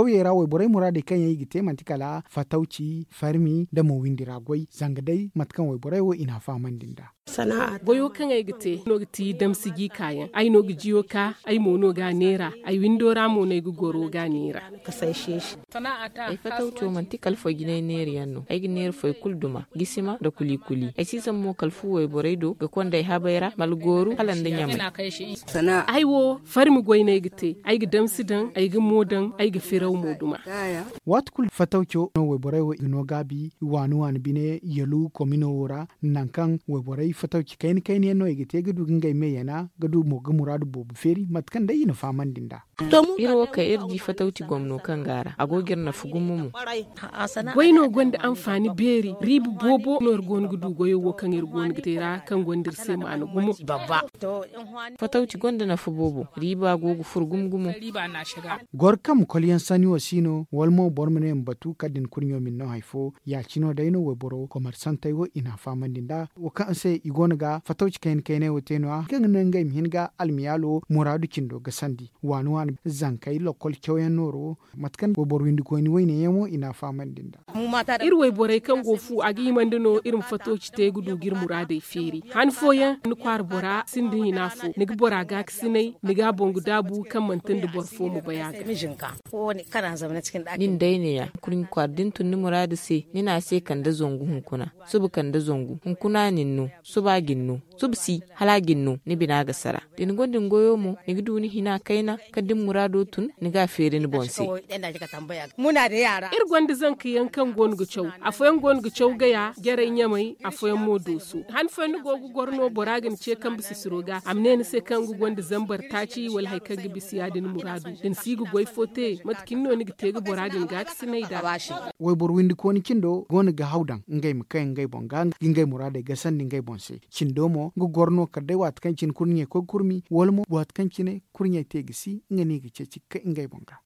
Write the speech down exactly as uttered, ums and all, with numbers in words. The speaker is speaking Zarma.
Kawyey ra wayborey muraadey kaŋ yaŋ i ga te manti kala fatawci farmi nda mo windi ra goy zanga day mate kaŋ wayborey wo i n'a fahamandi nd'a. Goyo kaŋ ay ga te no ga ti damsi g'i kaayaŋ ay no ga jiyo ka ay mo no ga a neera. Ay windo ra mo no ay ga goro ga a neera. Ay fatawco manti kala foy jinay neeri yaŋ no ay ga neera foy kulu duma gisima nda kuli kuli ay si zama mo kala fu wayborey do ga konda ay habey ra malgooru hala nda ɲamay. Ay wo farmi goy no ay ga te. Ay ga damsi daŋ ay ga mo daŋ ay ga firaw mo duma. Waati kulu fatawco no wayborey wo i ga no gaabi waani waani bine yalu komino wo ra nangu kaŋ wayborey fatawci kayna kayna yaŋ no i ga te ga du ga ngey me yana ga du mo ga muraadu boobo feeri mate kaŋ day i na fahamandi nd'a. Iri wo kaŋ iri di fatawci gomno kaŋ go a ra a go ga iri nafa gumo mo. Goy no gonda anfaani beeri riiba boobo no iri go no ga du goyo wo kaŋ iri go no ga te ra kaŋ gonda iri se maana gumo. Fatawci gonda nafa boobo riiba go ga furo gumo gumo. Goro kaŋ ma kolyaŋ sanni wo si no wala mo boro ma ne ma batu kala da ni kurɲo ma ni no hari fo. Ya- cine wo day no wayboro komersantey wo i n'a fahamandi nd'a wo kaŋ se i go no ga fatawci kayna kaynay wo te no- ya kaŋ ga naŋ ngey ma hin ga almiyaalo muraadu cindo gasandi waani waani zankey lokkol cawyaŋ nooro. Mate kaŋ wayboro windikoyni wayne yaŋ wo i n'a fahamandi nd'a. Iri wayborey kaŋ go fu a ga himandi no iri ma fatawci te ga du ga iri muraadey feeri han fooyaŋ ni kwaara bora sinda hina fo ni ga bora gaakasinay ni ga a boŋ ga daabu kaŋ manti nda boro fo ma bay a ga. Nin day neeya kurɲi kwaara da ni tun ni muraadu se ni ne a se kande zangu hunkuna suba kande zangu hunkuna nin no suba a ga ni no suba si hala a ga ni no ni bina ga sara da ni gonda ni goyo mo ni ga du ni hina kayna kala da ni muraado tun ni ga a feeri ni boŋ se. Iri gonda zanka yaŋ kaŋ go no ga caw afooyaŋ go no ga caw gaya jaray ɲamay afooyaŋ mo dooso han fooyaŋ ni go ga goro no bora ga ni ce kambe sisiro ga a ma ne ni se kaŋ nga gonda zambar taaci wala hari kaŋ ga bisa ya- din muraadu da ni si ga goy fo te mate cine no ni ga te ga bora din gaakasinay nd'a. Wayboro windikooni cindo go no ga haw daŋ ngey ma kay ngey boŋ ga ga ngey muraadey gasandi ngey boŋ se. Cindo mo nga goro no kala day waati kaŋ cine kurɲey koy ga kurmi wala mo waati kaŋ cine kurɲey te ga si nga no i ga ceeci ga kay ngey boŋ ga.